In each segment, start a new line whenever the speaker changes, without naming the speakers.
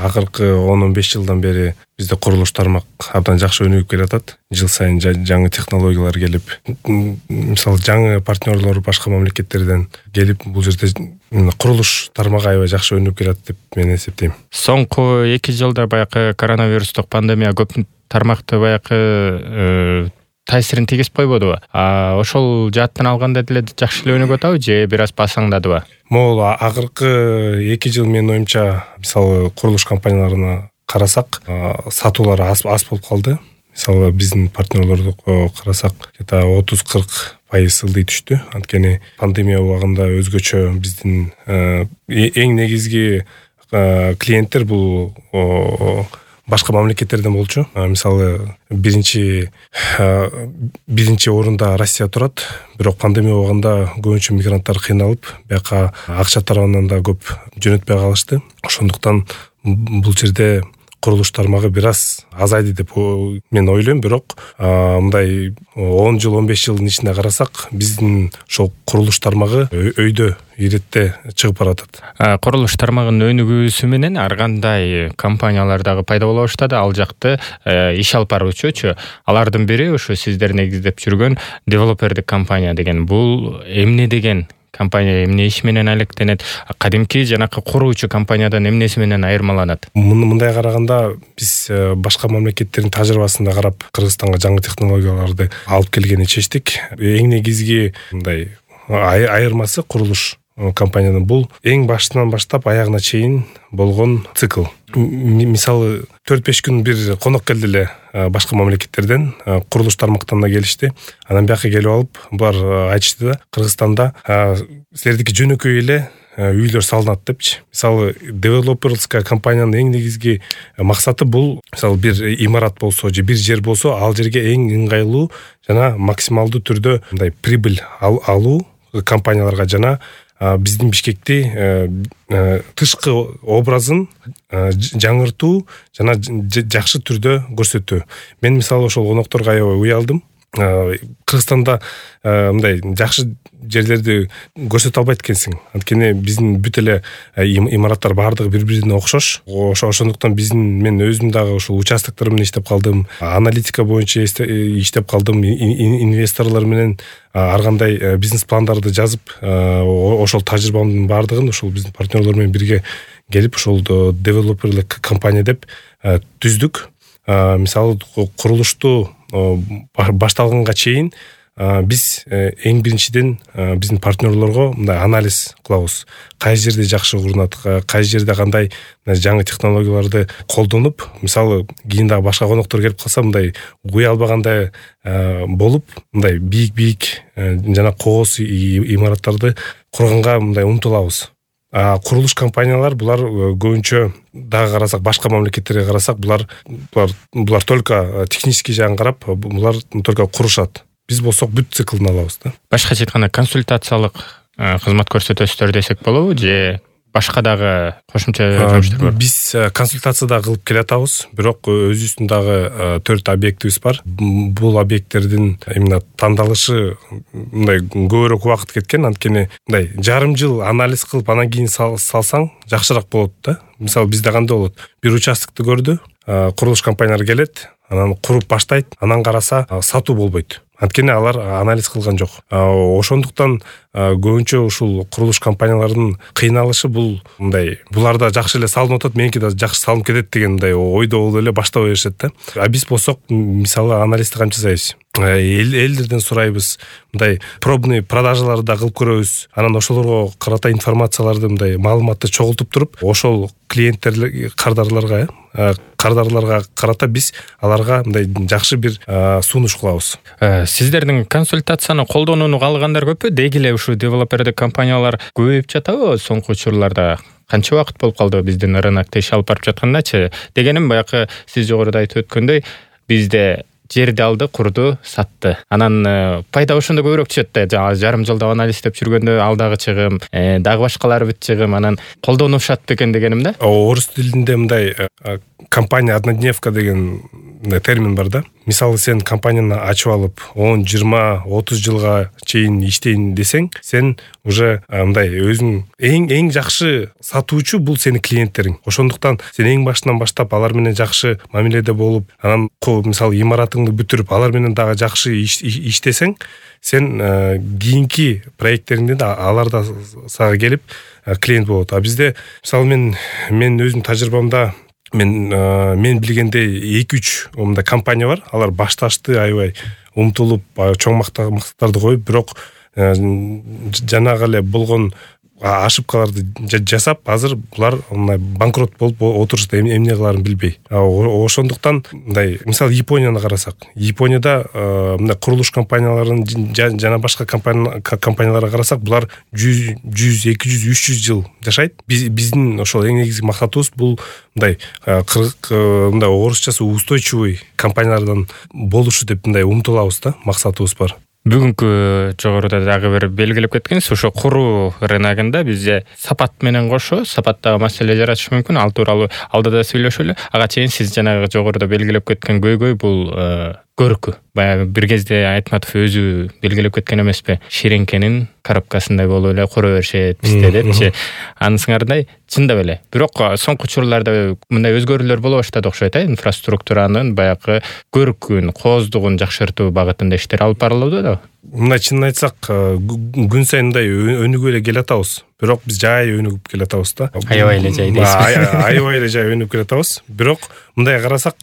акыркы 10-15 жылдан бери бизде курулуш тармак абдан жакшы өнүгүп келатат. Жыл сайын жаңы технологиялар келип, мисалы жаңы партнерлор башка мамлекеттерден келип, бул жерде курулуш тармагы аябай жакшы өнүгүп келат деп мен эсептейм.
Соңку 2 жылда баягы коронавирустук пандемия көп тармакты баягы таасирин тийгизип койбодубу? Ошол жааттан алганда деле жакшы эле өнүгүп атабы же бир аз басаңдадыбы?
Могул акыркы 2 жыл менин оюмча, мисалы курулуш компанияларына карасак, сатуулар аз болуп калды. Мисалы биздин партнерлорду карасак, 30-40% ылдый түштү. Анткени пандемия убагында өзгөчө биздин эң негизги клиенттер бул башка мамлекеттерден болчу. Мисалы биринчи орунда Россия турат, бирок пандемия убагында көбүнчө мигранттар кыйналып, бияка акча тарабынан да көп жөнөтпөй калышты. Ошондуктан бул жерде курулуш тармагы бир аз азайды деп мен ойлойм, бирок мындай 10 жыл 15 жылдын ичинде карасак, биздин ошол курулуш тармагы өйдө иретте чыгып баратат.
Курулуш тармагынын өнүгүүсү менен ар кандай компаниялар дагы пайда боло баштады. Ал жакты иш алып баруучучу. Алардын бири ошо сиздер негиздеп жүргөн девелопердик компания деген. Бул эмне деген компания, эмне иш менен алектенет? Кадимки жанакы куруучу компаниядан эмнеси менен айырмаланат?
Мындай караганда биз башка мамлекеттердин тажрыйбасында карап Кыргызстанга жаңы технологияларды алып келгени чечтик. Эң негизги мындай айырмасы курулуш компаниянын бул эң башынан баштап аягына чейин болгон цикл. Мисалы 4-5 күн бир конок келди эле башка мамлекеттерден, курулуш тармактан да келишти. Анан бияка келип алып, булар айтышты да, Кыргызстанда силердики жөнөкөй эле үйлөр салынат депчи. Мисалы девелоперская компаниянын эң негизги максаты бул, мисалы бир имарат болсо же бир жер болсо, ал жерге эң ыңгайлуу жана максималдуу түрдө мындай прибыль алуу компанияларга жана биздин Бишкекти тышкы образын жаңыртуу жана жакшы түрдө көрсөтүү. Мен мисалы ошол конокторго аябай уялдым. Кыргызстанда мындай жакшы жерлерди көрсөтө албайт экенсиң. Анткени биздин бүт эле имараттар баардыгы бири-бирине окшош. Ошондуктан мен өзүм дагы ошол участоктор менен иштеп калдым. Аналитика боюнча иштеп калдым. Инвесторлор менен ар кандай бизнес пландарды жазып, ошол тажрыйбамдын баардыгын ошол биздин партнерлор менен бирге келип ошол девелоперлик компания деп түздүк. Мисалы курулушту башталганга чейин биз эң биринчиден биздин партнерлорго мындай анализ кылабыз. Кайсы жерде жакшы урунат, кайсы жерде кандай жаңы технологияларды колдонуп, мисалы кийин дагы башка коноктор келип калса, мындай уя албагандай болуп, мындай бийик жана когос имараттарды курганга мындай умтулабыз. Курулуш компаниялар булар көбүнчө дагы карасак, башка мамлекеттерге карасак, булар только технический жагын карап, булар только курушат. Биз болсок бүт циклын алабыз да.
Башкача айтканда консультациялык кызмат көрсөтөсүздөр десек болобу же башка дагы кошумча жумуштар бар?
Биз консультация да кылып келатабыз, бирок өзүбүздүн дагы 4 объектибиз бар. Бул объекттердин именно тандалышы мындай көбүрөөк убакыт кеткен, анткени мындай жарым жыл анализ кылып анан кийин салсаң жакшыраак болот да. Мисалы бизде кандай болот? Бир участокты көрдү, курулуш компаниялар келет, анан куруп баштайт, анан караса сатуу болбойт. Анткени алар анализ кылган жок. Ошондуктан көбүнчө ушул курулуш компаниялардын кыйналышы бул мындай, буларда жакшы эле салынып атат, меники да жакшы салынып кетет деген мындай ойдо болуп эле баштап беришет да. Биз болсок, мисалы анализди кантип жасайбыз? Элдерден сурайбыз, мындай пробный продажаларды да кылып көрөбүз. Анан ошолорго карата информацияларды, мындай маалыматты чогултуп туруп, ошол клиенттер кардарларга карата биз аларга мындай жакшы бир сунуш кылабыз.
Сиздердин консультацияны колдонууну каалагандар көппү? Деги эле ушу девелопердик компаниялар көбөйүп жатабы соңку учурларда? Канча убакыт болуп калды биздин рынокто иш алып барып жаткандачы? Дегеним, баягы сиз жогоруда айтып өткөндөй, бизде жерди алды, курду, сатты. Анан пайда ошондо көбүрөөк түшөт да. Жарым жылда анализ деп жүргөндө ал дагы чыгым, дагы башкалары бүт чыгым, анан колдонушат бекен дегеним да.
Орус тилинде мындай компания однодневка деген термин бар да. Мисалы сен компанияны ачып алып 10, 20, 30 жылга чейин иштейин десең, сен уже мындай өзүң эң жакшы сатуучу бул сенин клиенттериң. Ошондуктан сен эң башынан баштап алар менен жакшы мамиледе болуп, анан мисалы имаратыңды бүтүрүп, алар менен дагы жакшы иштесең, сен кийинки проекттериңде да алар да сага келип клиент болот. А бизде мисалы мен өзүм тажрыйбамда мен билгенде 2-3 мындай компания бар. Алар башташты аябай умтулуп, чоң мактарды коюп, бирок жанагы эле болгон ошибкаларды жасап, азыр булар мындай банкрот болуп отурушта эмне кыларын билбей. Ошондуктан мындай мисалы Японияны карасак, Японияда мындай курулуш компанияларын жана башка компанияларга карасак, булар 100, 200, 300 жыл жашайт. Биздин ошол эң негизги максатыбыз бул мындай мындай орусчасы устойчивый компаниялардан болушу деп мындай умтулабыз да, максатыбыз бар.
Бүгүнкү жогоруда дагы бир белгилеп кеткенсиз, ошо куруу рыногунда бизде сапат менен кошо сапаттагы маселе жаратышы мүмкүн. Ал тууралуу алда да сүйлөшөлү. Ага чейин сиз жанагы жогоруда белгилеп кеткен көйгөй бул көркү. Баягы бир кезде Айтматов өзү белгилеп кеткен эмеспи? Ширеңкенин коробкасындай болуп эле кура беришет бизде депчи. Анысыңардай чындап эле. Бирок соңку учурларда мындай өзгөрүүлөр боло баштады окшойт, инфраструктуранын баягы көркүн, кооздугун жакшыртуу багытында иштер алып барылууда да.
Мындай чынын айтсак, күн сайын мындай өнүгүп эле келатабыз. Бирок биз жай өнүгүп келатабыз да.
Аябай эле жай дейсиз.
Аябай эле жай өнүгүп келатабыз. Бирок мындай карасак,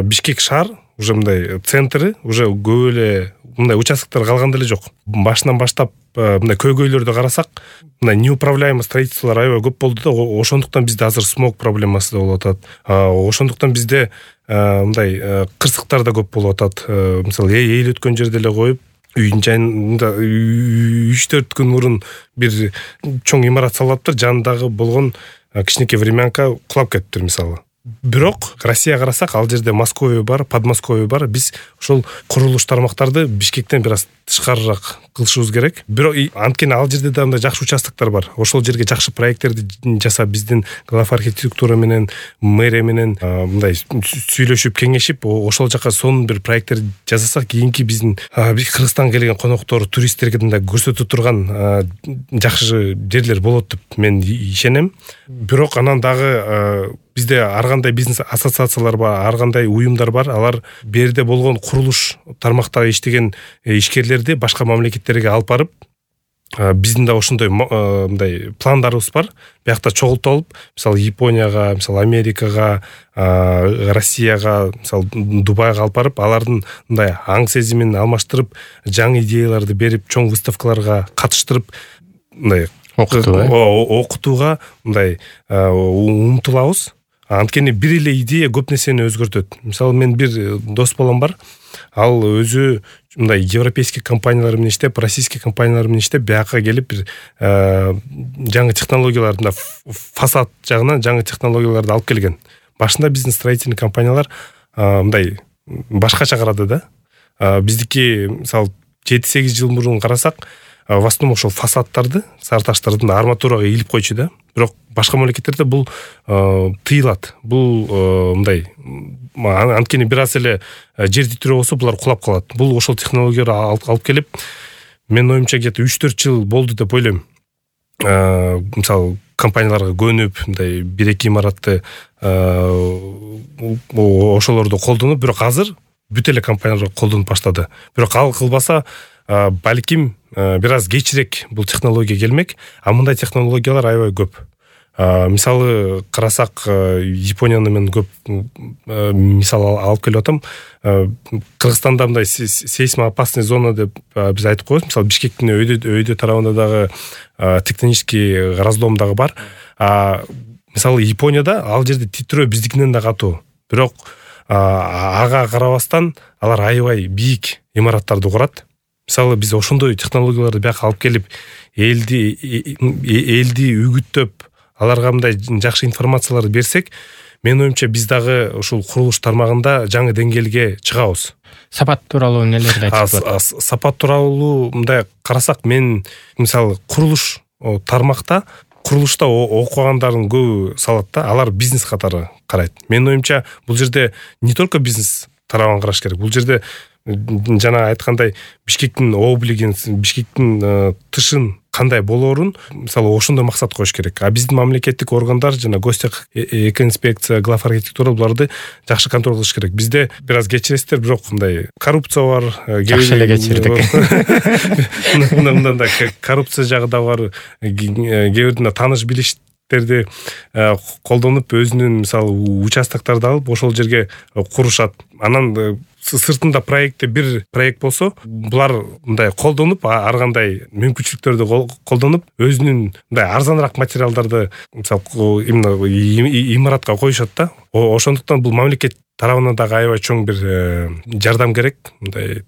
Бишкек шаар уже мындай центри уже көп эле мындай участоктор калган деле жок. Башынан баштап мындай көйгөйлөрдү карасак, мындай неуправляемый строительстволор аябай көп болду да. Ошондуктан бизде азыр смог проблемасы да болуп атат. Ошондуктан бизде мындай кырсыктар да көп болуп атат. Мисалы эл өткөн жерде эле коюп, үйдүн жайында 3-4 күн мурун бир чоң имарат салаптыр, жанындагы болгон кичинекей времянка кулап кетиптир мисалы. Бирок Россияга карасак, ал жерде Московия бар, Подмосковье бар. Биз ошол курулуш тармактарды Бишкектен бир аз тышкарыраак кылышыбыз керек. Бирок анткени ал жерде да мындай жакшы участоктор бар. Ошол жерге жакшы проекттерди жасап, биздин глав архитектура менен, мэрия менен мындай сүйлөшүп, кеңешип, ошол жака сонун бир проекттер жасасак, кийинки биздин Кыргызстанга келген коноктор, туристтерге мындай көрсөтө турган жакшы жерлер болот деп мен ишенем. Бирок анан дагы бизде ар кандай бизнес ассоциациялар бар, ар кандай уюмдар бар. Алар берде болгон курулуш тармактагы иштеген ишкерлерди башка мамлекеттерге алып барып, биздин да ошондой мындай пландарыбыз бар. Биякта чогултуп алып, мисалы Японияга, мисалы Америкага, Россияга, мисалы Дубайга алып барып, алардын мындай аң сезимин алмаштырып, жаңы идеяларды берип, чоң выставкаларга катыштырып, мындай окутууга мындай умтулабыз. Анткени бир эле идея көп нерсени өзгөртөт. Мисалы мен бир дос балам бар. Ал өзү мындай европейский компаниялар менен иштеп, российский компаниялар менен иштеп, бияка келип бир жаңы технологияларды, фасад жагынан жаңы технологияларды алып келген. Башында биздин строительный компаниялар мындай башкача карады да. Биздики мисалы 7-8 жыл мурун карасак, в основном ошол фасадтарды, сары таштардын арматурага илип койчу да. Бирок башка мамлекеттерде бул тыйылат. Бул мындай анткени бир аз эле жер титирөө болсо булар кулап калат. Бул ошол технологияларды алып келип, менин оюмча где-то 3-4 жыл болду деп ойлойм. Мисалы компанияларга көнүп, мындай 1-2 имаратты ошолорду колдонуп, бирок азыр бүт эле компаниялар колдонуп баштады. Бирок ал кылбаса, балким бир аз кечирээк бул технология келмек, а мындай технологиялар аябай көп. Мисалы карасак, Японияны мен көп мисал алып келип атам. Кыргызстанда мындай сейсмоопасный зона деп биз айтып коебуз. Мисалы Бишкектин өйдө тарабында дагы тектонический разлом дагы бар. Мисалы Японияда ал жерде титирөө биздикинен да катуу. Бирок ага карабастан алар аябай бийик имараттарды курат. Мисалы биз ошондой технологияларды бияка алып келип, элди үгүттөп, аларга мындай жакшы информацияларды берсек, менин оюмча биз дагы ушул курулуш тармагында жаңы деңгээлге чыгабыз.
Сапат тууралуу нелерди айтып атат?
Сапат тууралуу мындай карасак, мен мисалы курулуш тармакта, курулушта окугандардын көбү салат да, алар бизнес катары карайт. Менин оюмча бул жерде не только бизнес тарабын караш керек. Бул жерде жана айткандай Бишкектин облигин, Бишкектин тышын кандай болоорун мисалы ошондой максат коюш керек. А биздин мамлекеттик органдар жана гостех экоинспекция, глав архитектура буларды жакшы контроль кылыш керек. Бизде бир аз кечиресиздер, бирок мындай коррупция бар.
Жакшы эле кечирдик.
Мындай коррупция жагы да бар. Кээ бирде тааныш билиштерди колдонуп өзүнүн мисалы участокторду алып ошол жерге курушат. Анан сыртында проектте бир проект болсо, булар мындай колдонуп, ар кандай мүмкүнчүлүктөрдү колдонуп, өзүнүн мындай арзаныраак материалдарды мисалы именно имаратка коюшат да. Ошондуктан бул мамлекет тарабынан дагы аябай чоң бир жардам керек, мындай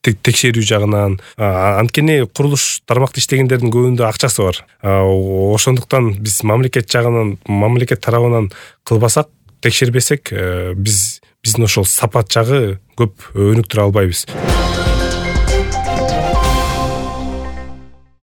текшерүү жагынан. Анткени курулуш тармакта иштегендердин көбүндө акчасы бар. Ошондуктан биз мамлекет жагынан, мамлекет тарабынан кылбасак, текшербесек, биздин ошол сапат жагы көп өнүктүрө албайбыз.